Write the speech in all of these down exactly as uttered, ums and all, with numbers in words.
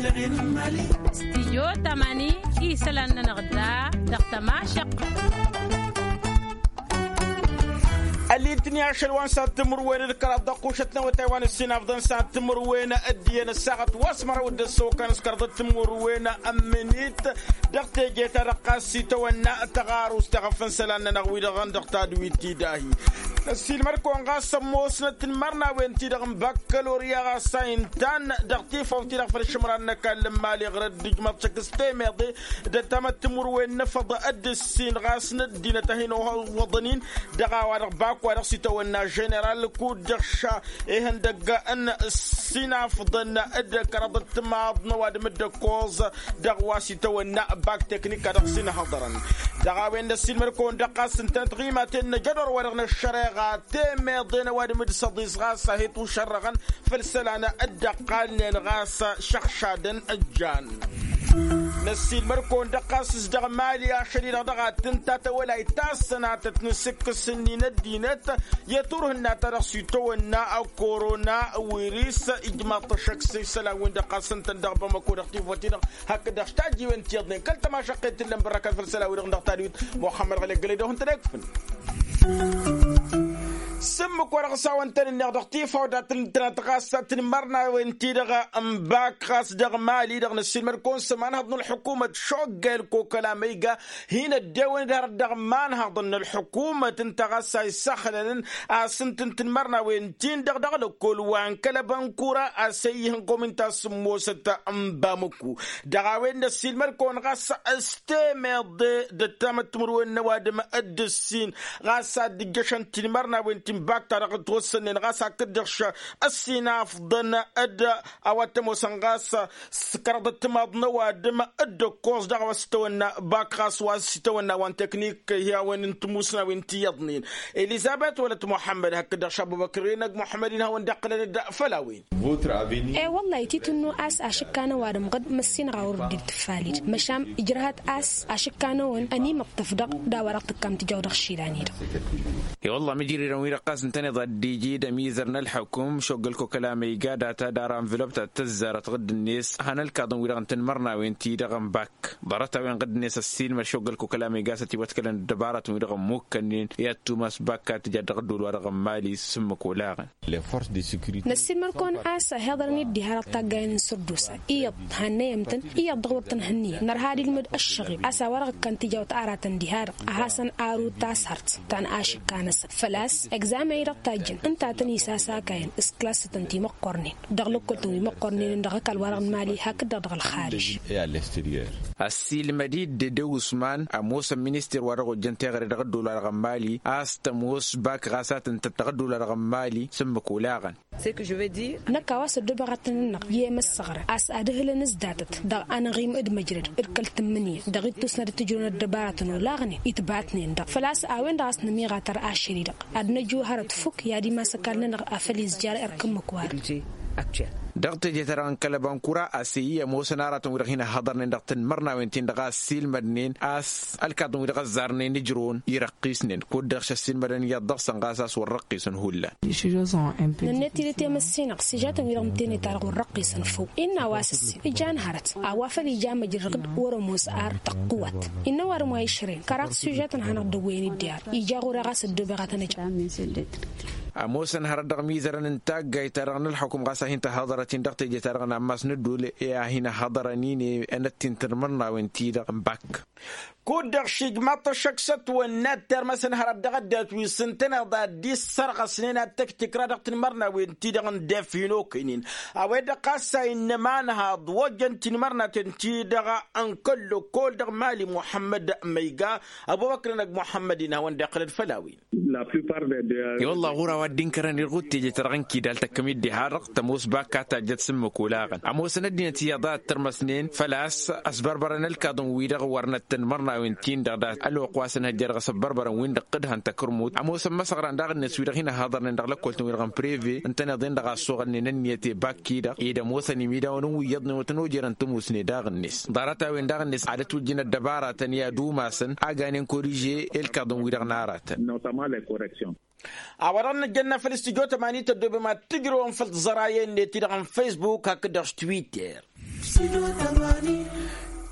Stijyo tămani isălan-nănăɣ da dăɣ-tămašăq. Ălitni ašăl wa n-sad timǝrwen d-kăraḍ dăɣ-kušăt n-awătay wa n-ǝssin afḍăn sad timǝrwen d-iyyăn ăssaɣăt wa s-măraw d-ăssokăn s-kăraḍăt timǝrwen n-minit. Dăɣ-teje-ta-dăɣ ɣas itawănna tăɣarust teɣăf n-isălan-nănăɣ wi-dăɣ dăɣ-tadwit ti dahi. Năssiilmăd-kăwăn ɣas ămoosnăt tinmărnawen-ti-dăɣ n-bakkalorya ɣas a intan dăɣ-tifawt-ti-dăɣ făll-išǝmran n-ăkall n-imali ɣur-dd-ijmăḍ šăkk s-temeḍe d-ăttamăt timǝrwen n-efăḍ d-ǝssin ɣas n-ăddinăt a hin-ăwwăḍăn-in. Dăɣ-a-wa-dăɣ bak wa dăɣ-s itawănna ženeral kud-dăɣ ša ihăndăgg n-sinafḍăn d-kăraḍăt timaḍ n-ăwadǝm d-ăkkoẓ. Dăɣ-wa s-itawănna bak teknik a dăɣ-sinhăḍărăn dăɣ-a-wen d-ăssiilmăd-kăwăn dăɣ-ɣas ǝntănăt ɣimaten n-ajădor-wa-dăɣ n-ăššăreɣa temeḍe n-ăwadǝm d-săḍis ɣas a hi-tušărrăɣăn făll-isălan. D-ăqqalnen ɣas šăɣšadăn ăjjan. Năssiilmăd-kăwăn dăɣ-ɣas s-dăɣ-mali ašăl-i-dăɣ dăɣ-ad-tǝnta tawălayt ta s-sănatăt n-asǝkkǝs-nin ăddinăt i-turhǝnna ta dăɣ-s itawănna ăkkorona wiris. Ijmaḍ-t ăššăk s-isălan-win-dăɣ ɣas ǝntăn dăɣ-bamăko dăɣ-tifăt-i-dăɣ hakd-dăɣ s-tajjiwen ti iyyăḍnen kăl-tămašăqqet t-ǝllăn bărrăkăn făll-isălan-wi-dăɣ dăɣ-tadwit. Muxămmăd ɣăli ăggălăy d-ohǝntăn ekfǝn. S-ǝmmǝk wa dăɣ-s a-wăn tăn-ǝnneɣ dăɣ-tifawt a tăn-tănăt ɣas tinmărnawen-ti-dăɣ n-bak ɣas dăɣ-mali-dăɣ năssiilmăd-kăwăn s-ămanhăḍ n-ălḥukumăt šogga i-ălkokăla ma iga hin-ăddewăn-dd hărăt dăɣ-imanhăḍăn n-ălḥukumăt ǝnta ɣas a isăxlălăn a-s ǝnta n-tinmărnawen-tin-dăɣ dăɣ-lăkkol wa n-kăl-ăbănkura a-s ăyyǝhăn kominta s-ǝmmosăt n-bamăku. Dăɣ-a-wen năssiilmăd-kăwăn ɣas s-temeḍe d-ăttamăt timǝrwen n-ăwadǝm d-ǝssin ɣas ad-dd-ǝjjăšăn tinmărnawen ti n-bak ta dăɣ-ătwăssănnen ɣas hakd-dăɣ š-ăssinafḍăn d-a-wa t-ămoosăn ɣas s-kăraḍăt timaḍ n-ăwadǝm d-ǝkkoẓ dăɣ-a-wa s-itawănna bak ɣas wa s-itawănna wa n-teknik. Hi-a-wen n-timusnawen ti iyyăḍnen elizăbet wăla t-muḥămmăd hakd-dăɣ šabubăkr-i n-ăgg muḥămmăd-in hawăn-dd-iqqǝlăn-dd făll-a-wen. E-wăllah ititǝnnu a-s ašǝkka n-ăwadǝm ɣǝd măssinăɣ a wăr dd-tǝffalid măšan ijrăhăt a-s ašǝkka-năwăn ănimăṭṭăf-dăɣ d-a-wa dăɣ-tǝkkam tǝjaw dăɣ-išilan-i-dăɣ. E-wăllah măjrăd-i-dăɣ wi-dăɣ ɣas ǝntăneḍ ad-dd-iji d-ămizăr n-ălḥukǝm šoggăl kokăla ma iga data d-ara ănvălop ta t-tăzzarăt ɣǝdd-net han ălkaḍăn-wi-dăɣ n-tinmărnawen-ti-dăɣ n-bak ḍarăt-a-wen ɣǝdd-net ăssiilmăd šoggăl kokăla ma iga s-ătiwătkălăn ăddăbaratăn-wi-dăɣ ămmukkănnen i-ad-tumas bak a tǝja dăɣ-ăddol-wa-dăɣ n-mali s-ǝmmǝk olaɣăn. Năssiilmăd-kăwăn a-s ăhiḍărăn-dd diha-dăɣ taggayen n-sărdusa iyyăḍ hannăyăm-tăn iyyăḍ dăɣ-wăr tăn-hǝnnǝyăm nărha ad-ilmǝd ăššăɣib a-s a-wa-dăɣ ǝkkan tijawt aratăn diha-dăɣ a hasăn arut tasart ta n-ašǝkka-năsăn făl-a-s egzamen-i-dăɣ tajjăn ǝnta a tăn-isasakayăn s-klassătăn ti măqqornen dăɣ-lăkkol-tăn wi măqqornen dăɣ-ăkall-wa-dăɣ n-mali hakd-dăɣ dăɣ-ălxarij. Ăssiilmăd-dd d-usman ămoosăn minister wa dăɣ-ojjăn teɣăre dăɣ-ăddol-wa-dăɣ n-mali a-s tămoos bak ɣas a tǝntăt dăɣ-ăddol-wa-dăɣ n-mali s-ǝmmǝk olaɣăn. Năkk a-wa s-ăddoobeɣ ad-tăn-ǝnnăɣ i-emăssăɣrăn a-s ad-ǝhlǝn s-datăt dăɣ-anăɣim d-măjrăd d-kăl-tǝmmǝnǝya dăɣ-ittus n-ad-t-ǝjrǝwăn ăddăbaratăn olaɣnen itbatnen-dăɣ făl-a-s a-wen-dăɣ a-s nămiɣatăr ašăl-i-dăɣ ad-năju hărăt fukk i-ad-imas ăkall-nănăɣ a făl izjar erk ǝmmǝk-wa-dăɣ. Dăɣ-teje-ta-dăɣ n-kăl-ăbankura a-s e-i ămoosăn aratăn-wi-dăɣ hin-ăhhăḍărnen dăɣ-tinmărnawen-tin-dăɣ a ăssiilmădnen a-s ălkaḍăn-wi-dăɣ ăzzarnen ǝjrǝwăn irăqqisnen kud-dăɣ šăssiilmădăn iyyăḍ dăɣ-săn ɣas a-s wăr răqqisăn hullan. Nănnet-dd i-temăssinăɣ s-ižatăn-wi-dăɣ n-teneta-dăɣ wăr răqqisăn făw innă a-wa s-ǝssin ijan hărăt a-wa făl ija măjrăd wăr-ămoos ar tăqqǝwăt innă ăwadǝm wa išrăyăn kăraḍ s-ižatăn hanăɣ-dd-ăwwăyăn-dd i-ar ija ɣur-e ɣas ăddoobeɣ ad-tăn-ăj. Ămoosăn hărăt dăɣ-imizărăn n-taggayt-ta-dăɣ n-ălxukǝm ɣas a hin-tăhhăḍărăt-in dăɣ-teje-ta-dăɣ n-ammas n-ăddule i-ad-hin-ăhhăḍărăn-in i-enăt-in tǝrmărnawen-ti-dăɣ n-bak. Kud-dăɣ šijmaḍ-t ăššăk s-ătwănna d-termăs n-hărăt dăɣ-ăddinăt wi s-ǝntăneḍ ad-dd-issărɣăsnen ad-tăktikra dăɣ-tinmărnawen-ti-dăɣ n-def hin-okăynen a-wen-dăɣ ɣas a innă ămanhaḍ wa ojjăn tinmărnaten-ti-dăɣ n-kăl-lăkkol dăɣ-mali muḥămmăd măyga. Ăbubăkr-năg muḥămmăd-in hawăn-dd-iqqǝlăn făll-a-wen. I-wălla ɣur-a-wa dd-inkărăn irɣud teje-ta-dăɣ n-kidal tăkkăm-dd diha-dăɣ tămoos bak a tajjăt s-ǝmmǝk olaɣăn ămoosăn ăddinăt iyyăḍ a ăttărmăsnen făl-a-s ăsbărbărăn ălkaḍăn-wi-dăɣ wărnăt tinmărnawen-tin-dăɣ dat-ălwăqq wa s-ǝnhăjja dăɣ-s ăbbărbărăn-win-dăɣ t-dd-hăn tăkărmut ămoosăn măsăɣran daɣ-net wi-dăɣ hin-ăhhăḍărnen dăɣ-lăkkol-tăn-wi-dăɣ n-preve ǝntăneḍ-en-dăɣ a ăssoɣălnen ǝnniyăt i-bak-i-dăɣ ed ămoosăn imidawen n-wi iyyăḍnen wa tăn-ojerăn tămoosne daɣ-net ḍarăt-a-wen daɣ-net ad-ătwǝjjǝn ăddăbaratăn i-ad-umasăn a ganen koriže i-ălkaḍăn-wi-dăɣ n-aratăn. A-wa dăɣ-nǝjjănna făll-studyo tămani tăddoobem ad-tǝjrăwăm făll-tiẓărayen-net-i-dăɣ n-facebook hakd-dăɣ s-twitter.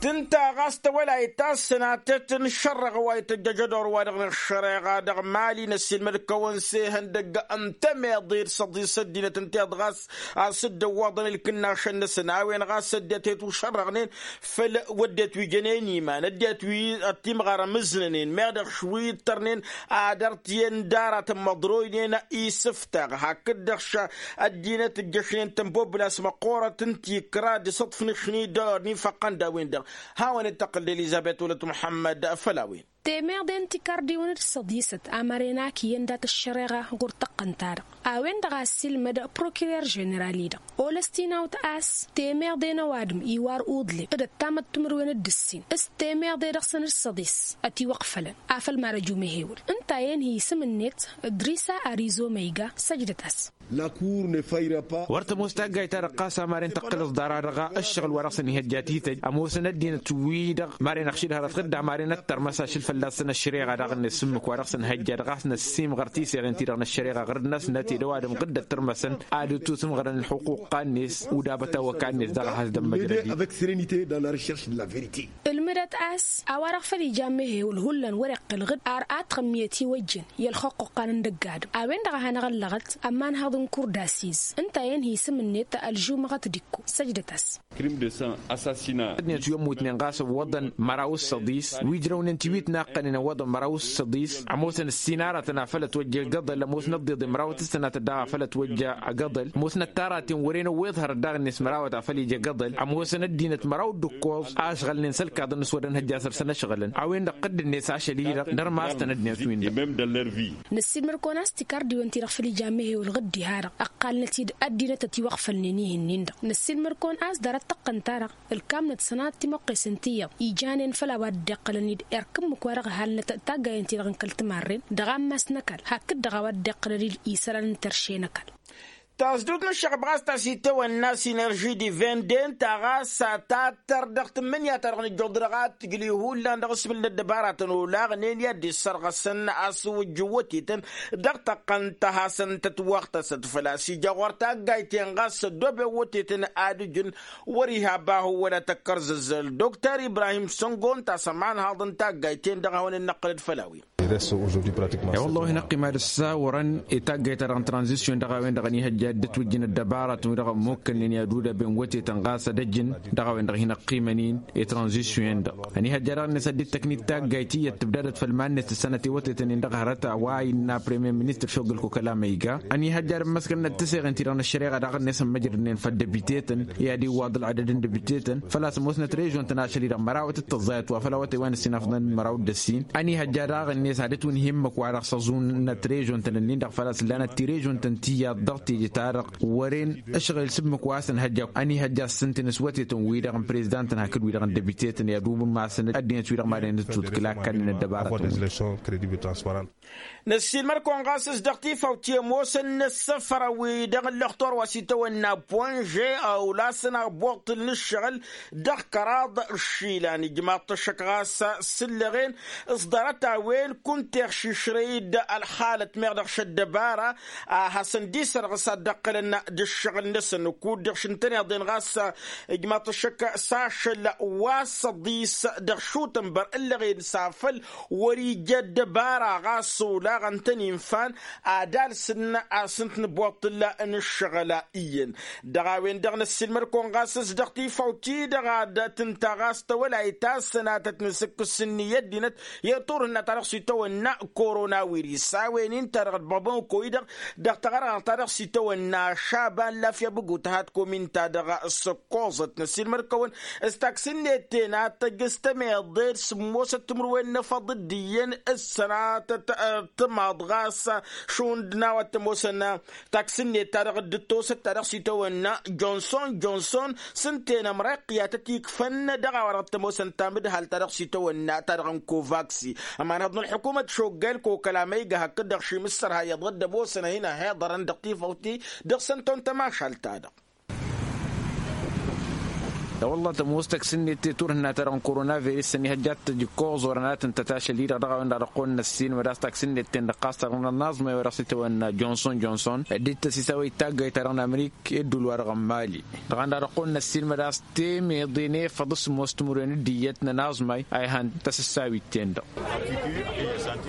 Tǝnta ɣas tawălayt ta s-sănatet n-išărrăɣ wa ităjjăj ădor-wa-dăɣ n-ăššăreɣa dăɣ-mali n-ăssiilmăd-kăwăn s-ehăndăgg n-temeḍe d-săḍis ăddinăt ǝnta iḍ ɣas a-s dd-ăwwaḍăn ǝlkǝnnašăn-năsăn a-wen ɣas ăddinăt he-tušărrăɣnen făll-wădden wi jănen iman ăddinăt wi ăttimɣar ămǝznănen meɣ dăɣ-š wi ǝttărnen ad-ărtǝyăn d-aratăn măḍroynen isǝftaɣ hakd-dăɣ š-ăddinăt ǝjjăšnen tănbobla s-măqqoorăt n-tikra d-isǝḍfǝnǝšni d-ălwăr n-infăqqăn d-a-wen-dăɣ. Hawăn-dd-tăqqǝl d-elizăbet wăla t-muḥămmăd făll-a-wen. Temeḍe n-tikardiwăn d-săḍisăt amăren a k-iyyăn dat-ăššăreɣa ɣur-tăqqăn-ta-dăɣ a-wen-dăɣ a ăssiilmăd prokirer ženeral-i-dăɣ olăstinawt a-s temeḍe n-ăwadǝm iwar uḍleb d-ăttamăt timǝrwen d-ǝssin s-temeḍe dăɣ-săn d-săḍis ătiwăqfălăn afăl marăj umehewǝl ǝnta a i-ănhǝy isǝm-net d-risa arizo ma iga săjdăt-as. Wăr tămoos taggayt-ta-dăɣ ɣas amaren tăqqǝlăẓ dara dăɣ-a ǝššăɣǝl wa dăɣ-săn ihăjja tităj ămoosăn ăddinăt-wi-dăɣ maren ăxšid hărăt ɣǝdda maren ăttărmăs ašǝl fălla-săn ăššăreɣa daɣ-net s-ǝmmǝk wa dăɣ-săn hăjja dăɣ-a-s năssiimɣăr tiseɣen-ti-dăɣ n-ăššăreɣa ɣǝr-năsnăt ed ăwadǝm ɣǝdda ăttărmăsăn ad-dd-tusǝmɣărăn ălxuqq-net udabăt awăka-net dăɣ-a has-dămmăjrăd-i. Ǝlmǝdăt a-s a-wa-dăɣ făl ija amehewǝl hullan wăr-iqqǝl ɣǝd ar ad-tɣǝmmiyăt iwăjjăn i-ălxuqq-ăqqan n-dăgg-adǝm a-wen-dăɣ a hanăɣ-ăllăɣăt ămanhăḍ n-kurda s-iz ǝnta a i-ănhǝy isǝm-net ălžumăɣăt d-ikko săjdăt-as. Crime de sang, assassinat. Ăddinăt wi ămmutnen ɣas ǝwwăḍăn măraw s-săḍis wi ǝjrăwnen tiwit naqqănen ǝwwăḍăn măraw s-săḍis ămoosăn ǝssin aratăn afăl ătwăjja igăḍăl ămoosnăt d-iḍe măraw t-sănatăt daɣ afăl ătwăjja igăḍăl ămoosnăt taraten wăren ăwweḍ hărăt daɣ-net mărawăt afăl ija igăḍăl ămoosăn ăddinăt măraw d-ǝkkoẓ a ăšɣălnen s-ălkaḍăn s-wăr-ănhăjja săr-săn ăšɣǝlăn a-wen-dăɣ t-dd-net ašăl-i-dăɣ dăr-mastăn ăddinăt-win-dăɣ. Năssiilmăr-kăwăn a-s tikardiwen-ti-dăɣ făll-ija amehewǝl ɣǝddi-ha-dăɣ ǝqqalnăt-dd ăddinăt ătiwăɣfălnen ih'-nin-dăɣ năssiilmăr-kăwăn a-s ḍarăt tăqqăn-ta-dăɣ ǝlkamnăt sănatăt timoqqesen ti iyyăḍ ijanen făll-a-wa dd-iqqălăn-dd erk ǝmmǝk wa dăɣ-ăhalnăt taggayăn-ti-dăɣ n-kăl-timarren dăɣ-ammas n-ăkall hakd-dăɣ a-wa dd-iqqălăn-dd isălan n-terše n-ăkall. Tasdut n-ǝššăɣb ɣas ta s-itawănna sinerži d-ivende ǝnta ɣas a tattăr dăɣ-tǝmmǝnǝya-ta-dăɣ nǝjjuḍ-dăɣ ad-tǝjlǝy hullan dăɣ-asmǝl n-ăddăbaratăn olaɣnen i-ad-dd-issărɣăsăn asǝwǝjj n-wătetăn dăɣ-tăqqăn ta hasăn-tătwăɣtăsăt făl-a-s ija ɣur-taggayt-en ɣas ăddooben wătetăn ad-ǝjǝn wăr-i ha bahu wăla tăkkărzăzzăl doktor ibrahim săngo ǝnta a-s ămanhaḍ n-taggayt-en-dăɣ a hawăn-dd-năqqǝlăd făll-a-wen. I-wălla-hi năqqim ad-ăssawărăn i-taggayt-ta-dăɣ n-tranzisyon dăɣ-a-wen-dăɣ ănihăjja ad-dd-ătwǝjjǝn ăddăbaratăn-wi-dăɣ ămmukkălnen i-ad-udăben wătetăn ɣas ad-ăjǝn dăɣ-a-wen-dăɣ hin-ăqqimăn-in i-tranzisyon-dăɣ. Ănihăjja daɣ-net ad-dd-tăknit taggayt iyyăt tǝbdadăt făll-iman-net d-sănăt i-wătetăn-in-dăɣ hărăt a-wa innă premier ministăr šoggăl kokăla ma iga ănihăjja ad-ămmăskălnăt tiseɣen-ti-dăɣ n-ăššăreɣa daɣ-net ămmăjrădnen făll-dăbiteten i-ad-iwwaḍ ălɣădăd n-dăbiteten făl-a-s ămoosnăt režon-tăn ašăl-i-dăɣ mărawăt d-tăẓẓayăt wa făll-awătay wa n-ǝssin afḍăn măraw d-ăssin. Ănihăjja daɣ-net ad-ǝtwǝnhǝy ǝmmǝk-wa-dăɣ s-ăẓunăt režon-tăn-ǝnnin-dăɣ făl-a-s ǝllanăt tirrežon-tăn ti iyyăḍ dăɣ-teje-ta-dăɣ wăren ǝšɣǝl s-ǝmmǝk wa s-ǝnhăjja ănihăjja ăssǝnten s-wătetăn-wi-dăɣ n-prezidantăn hakd wi-dăɣ n-dăbiteten i-ad-umasăn ăddinăt-wi-dăɣ madăn-dd-tutkǝl a ǝkkannen ăddăbaratăn-wi. Năssiilmăd-kăwăn ɣas s-dăɣ tifawt i-ămoosăn n-ăssăfăr-wi-dăɣ n-lăxtur wa s-itawănna ponže a ulasăn abuṭṭǝl n-ǝššăɣǝl dăɣ-kăraḍ išilan ijmaḍ-t ăššăk ɣas s-ǝllăɣen s-ḍarăt-a-wen kunta iɣšišrăy-dd ălxalăt meɣ dăɣ-šăddăbara a hasăn-dd-isărɣǝs ad-dd-ăqqǝlăn d-ǝššăɣǝl-năsăn kud-dăɣ šintăneḍ-en ɣas ijmaḍ-t ăššăk s-ašăl wa s-ăḍis dăɣ-šutănbăr ǝllăɣen s-afăl wăr-ija ăddăbara ɣas olaɣ ǝntăn infan ad-alsǝn asǝnt n-abuṭṭǝl n-ǝššăɣǝl iyyăn. Dăɣ-a-wen-dăɣ năssiilmăd-kăwăn ɣas s-dăɣ tifawt-i-dăɣ ad-tǝnta ɣas tawălayt ta s-sănatăt n-asǝkkǝs-ni i-ăddinăt i-turhǝnna ta dăɣ-s itawănna korona wiris a-wen-in ta dăɣ-ădbăḍăn ǝkko-i-dăɣ dăɣ-taɣărɣăɣt ta dăɣ-s itawănna šaban lafya bǝgutăhat komin ta dăɣ-săkkoẓăt năssiilmăd-kăwăn s-taksǝnnet tenatăj s-tămeḍe d-sǝmmosăt timǝrwen n-efăḍ d-iyyăn s-sănatăt tǝmaḍ ɣas šund n-a-wa t-ămoosăn taksǝnnet ta dăɣ-dd-tosăt ta dăɣ-s itawănna jonson jonson s-ǝnta enămrăy ăqqiyatăt ikfăn dăɣ-a-wa dăɣ-t-ămoosăn tamǝdhalt ta dăɣ-s itawănna ta dăɣ-n kovaksi ămanhăḍ n-ălḥukumăt šoggel kokăla ma iga hakd-dăɣ šimǝssărha iyyăḍ dd-ămoosăn a hin-ăhiḍărăn dăɣ-tifawt-i dăɣ-săn tăwăn tămašalt-ta-dăɣ. Tawălla tămoos taksǝnnet teturhǝnna ta-dăɣ n-korona virus-săn ihăjja ad-t-tăj ǝkkoẓ wăr-ănatăn tătašăl-i-dăɣ dăɣ-a-wen-dăɣ dăɣ-kăwăn-năssiilmăd a-s taksǝnnet-ten-dăɣ ɣas ta-dăɣ n-ănnaẓmay wa dăɣ-s itawănna johnson johnson dd-tăsisa wa ittagga i-ta-dăɣ n-amrik i-ădduul-wa-dăɣ n-mali. Dăɣ-a-wen-dăɣ dăɣ-kăwăn-năssiilmăd a-s temeḍe n-efăḍ s-ămoos timǝrwen d-iyyăt n-ănnaẓmay a ihăn tăsǝssawit-ten-dăɣ.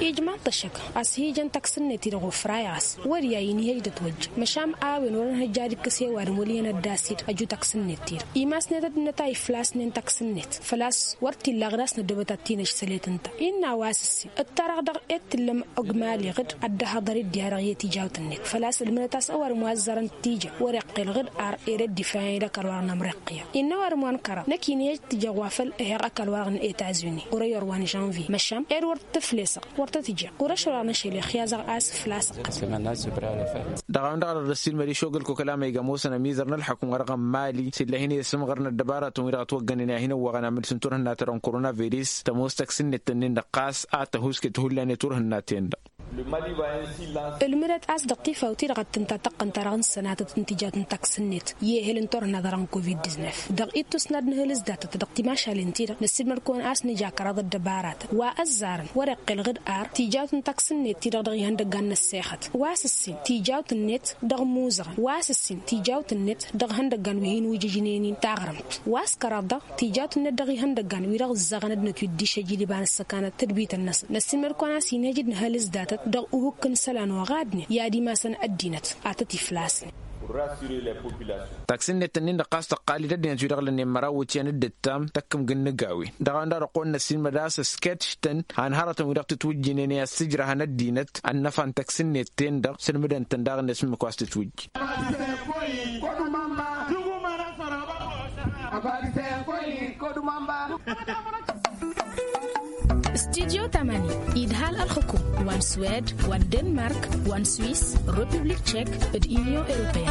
Ijmaḍ-t ăššăk a-s hi-ijăn taksǝnnet-i-dăɣ ofray ɣas wăr-i a inihăj d-ătwăjja măšan a-wen wăr-ănhăjja ad-ikkǝs i-ăwadǝm wăl' iyyăn ăddas-i-dăɣ ăju taksǝnnet-i-dăɣ imasnet ăddinăt a iflasnen taksǝnnet făl-a-s wăr t-illa ɣǝd a-s năddobăt ad-t-inăšsălet ǝnta innă a-wa s-ǝssin ǝttarăɣ dăɣ-e d-tǝllăm ăgg mali ɣǝd ad-dd-ăhhăḍăr i-dd-iha dăɣ-i tijawt-net făl-a-s ǝlmǝdăt a-s ăwadǝm wa ăzzarăn tija wăr-iqqel ɣǝd ar ere dd-ifrayăn i-dd ăkall wa-dăɣ n-amriqq iyyăḍ innă ăwadǝm wa n-kăraḍ năkk inhăj tǝjăɣ wa făl ehăɣ ăkall wa-dăɣ n-etazuni ɣur-ăyyor wa n-žănvye măšan ed wăr tǝflesăɣ wăr tăt-ǝjjeɣ ɣur-ăšăl wa n-ašăl ixyazăɣ a-s ǝflasăɣ. Dăɣ-a-wen-dăɣ a dăr-dd-ăssiilmăd išogăl koklama iga ămoosăn ămizăr n-ălḥukǝm wa dăɣ-n mali s-illa a hin-esǝmɣăr n-ăddăbaratăn-wi-dăɣ ătwăggănen i-ad-hin-ăwwăɣăn amǝlǝs n-turhǝnna-ta-dăɣ n-korona virus tămoos taksǝnnet-tăn-in-dăɣ ɣas a tăhuske tihullan i-turhǝnna-ten-dăɣ. Ǝlmǝdăt a-s dăɣ-tifawt-i-dăɣ ad-tǝnta tăqqǝn-ta-dăɣ n-sănatăt n-tijawt n-taksǝnnet i-ehel n-turhǝnna-ta-dăɣ n-covid-disnef dăɣ-ittus n-ad-nǝhǝl s-datăt dăɣ-timašalen-ti-dăɣ năssiilmăd-kăwăn a-s nǝja kăraḍ ăddăbaratăn wa ăzzarăn wăr-iqqel ɣǝd ar tijawt n-taksǝnnet-ti-dăɣ dăɣ-ihăndăggan n-ăssexăt wa s-ǝssin tijawt-net dăɣ-imuzăɣăn wa s-ǝssin tijawt-net dăɣ-ihăndăggan wi hin-wǝjǝjnen-in taɣrǝmt wa s-kăraḍ-dăɣ tijawt-net dăɣ-ihăndăggan wi-dăɣ ǝzzăɣăn ăddinăt wi dd-išăjjǝd iba n-ăssăkanăt tadbităn-năsăn năssiilmăd-kăwăn a-s inhăj d-nǝhăl s-datăt dăɣ-uhǝkk n-isălan oɣadnen i-ad-imasăn ăddinăt ad-tăt-iflasnen. Taksǝnnet-ǝnnin-dăɣ ɣas tăqqal-dd ăddinăt wi-dăɣ lănnen măraw iwǝtyan d-ǝttam tăkkǝmg n-inǝgawen dăɣ-a-wen-dăɣ a dăɣ-kăwăn-năssiilmăd a-s s-kăt-ǝštăn han hărătăn wi-dăɣ tǝtwǝjjǝynen i-ad-sǝjrăhăn ăddinăt ănnăfa n-taksǝnnet-ten-dăɣ sǝlmǝdăn-tăn daɣ ǝnne s-ǝmmǝk wa s-tǝtwǝjj. Studyo tamani idhal ălxukum wa n-swed wa n-denmark wa n-swiss republik tchek d-union europeen.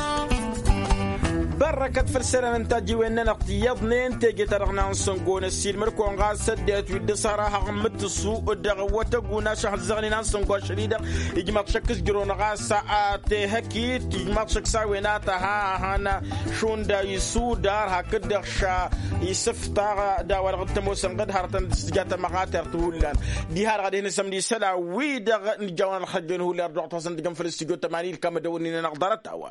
Bărrăkăt făll-sănăn n-tajjiwen-nănăɣ tiyyăḍnen teje-ta-dăɣ n-ansăngo n-ăssiilmăd-kăwăn ɣas ăddinăt wi dd-ăṣhărăhăɣ n-imǝttǝsu dăɣ-awătăg unaš a hǝzzăɣnen ansăngo ašăl-i-dăɣ ijmaḍ šăkk s-jărăwăn ɣas a tehăkit ijmaḍ šăkk s-a-wen a tăha a han šund isudar hakd-dăɣ ša isǝftaɣ d-a-wa-dăɣ dd-tămoosăn ɣǝd hărătăn d-tǝja tămăɣatert hullan. Diha-dăɣ ad-hin-ăsămd isălan-wi-dăɣ nǝjawăn ălxăjjăn hullan ărdăɣ-t hasăn-tǝjăn făll-studyo tămani ilkam ad-ăwănnin-anăɣ ḍarăt-a-wa.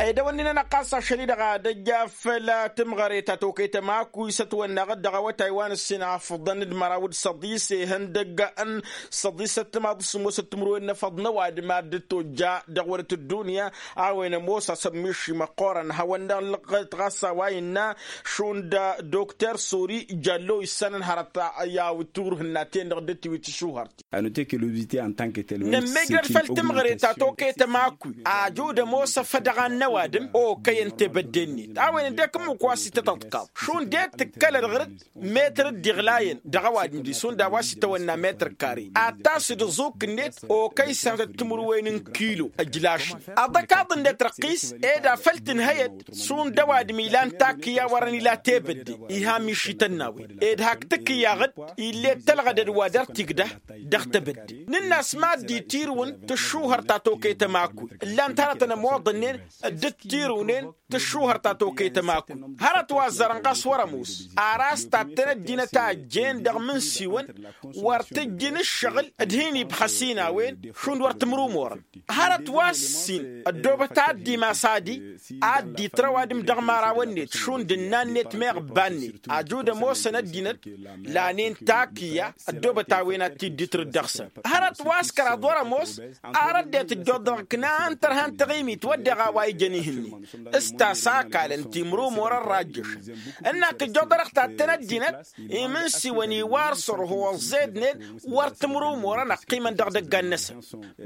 Edăwănnin-anăɣ ɣas ašăl-i-dăɣ ad-ăjja făll-timɣăre ta tokăy tămakuy s-ătwănnaɣ-dd dăɣ-awătay wa n-ǝssin afǝḍăn d-măraw d-săḍis ihăndăgg n-săḍisăt timaḍ s-ămoosăt timǝrwen n-efăḍ n-ăwadǝm ad-dd-tojja dăɣ-wăr t-ăddunya. A-wen ămoos asămmiši măqqoorăn hawăn-dăɣ lăɣăt ɣas a-wa innă šund dokter sori jallo issanăn hărăt i-awǝtur hǝnna-ten-dăɣ dd-tiwit tǝšuhărt. Nămmejrăd făll-timɣăre ta tokăyăt ămakuy ajud ămoos afădăɣan n-ăwadǝm okăyăn tebădde-net a-wen dd-ekǝmmǝk wa s-itătăḍkaḍ šund ed tǝkkălăd ɣǝr-dd metăr dd-iɣlayăn dăɣ-ăwadǝm-di šund a-wa s-itawănna metăr kare ad-tasǝd ǝẓuk-net okăy sănatăt timǝrwen n-kilo ăjlašăn. Aḍăkaḍ-net răqqis ed afăl tǝnhăyăd šund ăwadǝm ilan takǝya wărăn ila tebădde iha mišităn n-a-wen ed hak tǝkǝyaɣ-dd ill'-e tălɣădăd wa dăr-t-igdăh dăɣ-tebădde. Nǝnn'-as mad-dd-itirǝwăn tǝššuhăr ta tokăyăt ămakuy ǝllan-t hărătăn ămoḍănnen dd-tirǝwnen tǝššuhăr ta tokăyăt ămakuy. Hărăt wa ăzzarăn ɣas wăr-ămoos ar a-s tattăn ăddinăt a ăjjeen dăɣ-imǝnsiwăn wăr tǝjjǝn ǝššăɣǝl d-hin-ibxăs-in a-wen šund wăr tǝmrumorăn. Hărăt wa s-ǝssin ăddoobăt ad-dd-imas adi ad-dd-itrăw adǝm dăɣ-imărawăn-net šund ǝnnan-net meɣ ǝbba-net ajud ămoosăn ăddinăt lanen takǝya ăddoobăt a-wen ad-t-dd-itrǝd dăɣ-săn. Hărăt wa s-kăraḍ wăr-ămoos ar ăddinăt ăjjoḍăɣ ǝknan tărha n-taɣimit wădden a-wa ijăn ihǝnnin s-tasakalăn timrumorăn rajjăšăn ǝnnak ăjjoḍănăɣ tattăn ăddinăt imǝnsiwăn iwar sărho ăẓẓednen wăr tǝmrumorăn ăqqimăn dăɣ-idăggan-năsăn.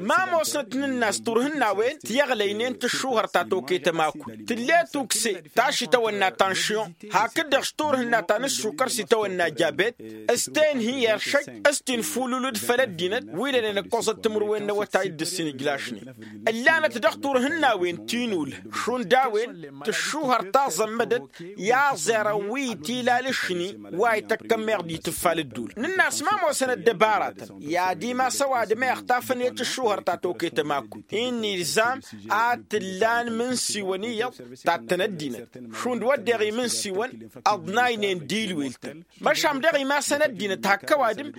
Ma ămoosnăt nǝnn'-as turhǝn n-a-wen tiyăɣlăynen tǝššuhăr ta tokăyăt ămakuy tǝlle tukse ta š-itawănna tanšyon hakd-dăɣ s-turhǝnna ta n-ǝššukăr s-itawănna jabet s-tenhi i-ăršăj s-tinfululǝd făll-ăddinăt wi lănen ǝkkoẓăt timǝrwen n-awătay d-ǝssin ǝjlašnen. Ǝllanăt dăɣ-turhǝn n-a-wen tinul Šund a-wen tǝššuhăr taẓămmădăt i-aẓerăn wi tilal ǝššǝni wa ităkkăn meɣ d-itǝffal ǝddul nǝnn'-as ma ămoosăn ăddăbaratăn. I-ad-imas ăwadǝm a ixtafăn i-tǝššuhăr ta toketăm akul-i n-ilzam ad-t-ǝllan imǝnsiwăn iyyăḍ tattăn ăddinăt šund wădden imǝnsiwăn ăḍnaynen d-ilwel-tăn. Măšan dăɣ-imasăn ăddinăt hakk ăwadǝm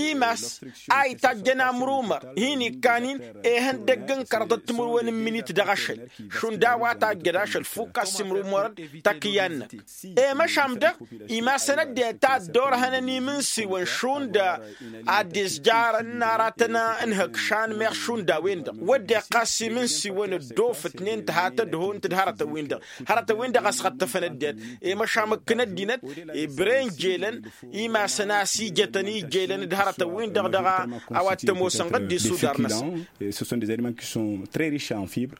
imas a itajjăn amrumăr hin-ikkan-in ihăndăgg n-kărḍăt timǝrwen n-iminit dăɣ-ašăl. Šund a-wa tajjăd ašăl fukk a-s imrumărăn takǝyya-năk. I-măšan dăɣ-imasăn ăddinăt a dd-orhănăn imǝnsiwăn šund ad-dd-izjarăn n-aratăn n-ihăkšan meɣ šund a-wen-dăɣ wădden ɣas imǝnsiwăn ăddoofătnen tǝha tădhont d-hărătăn-win-dăɣ. Hărătăn-win-dăɣ ăsɣăttăfăn ăddinăt i-măšan mǝkkǝn ăddinăt i-bren jelăn imasăn a-s ijătăn ijelăn d-hărătăn-win-dăɣ dăɣ-a-wa t-ămoosăn ɣǝddis udar-năsăn. Ce sont des aliments qui sont très riches en fibres.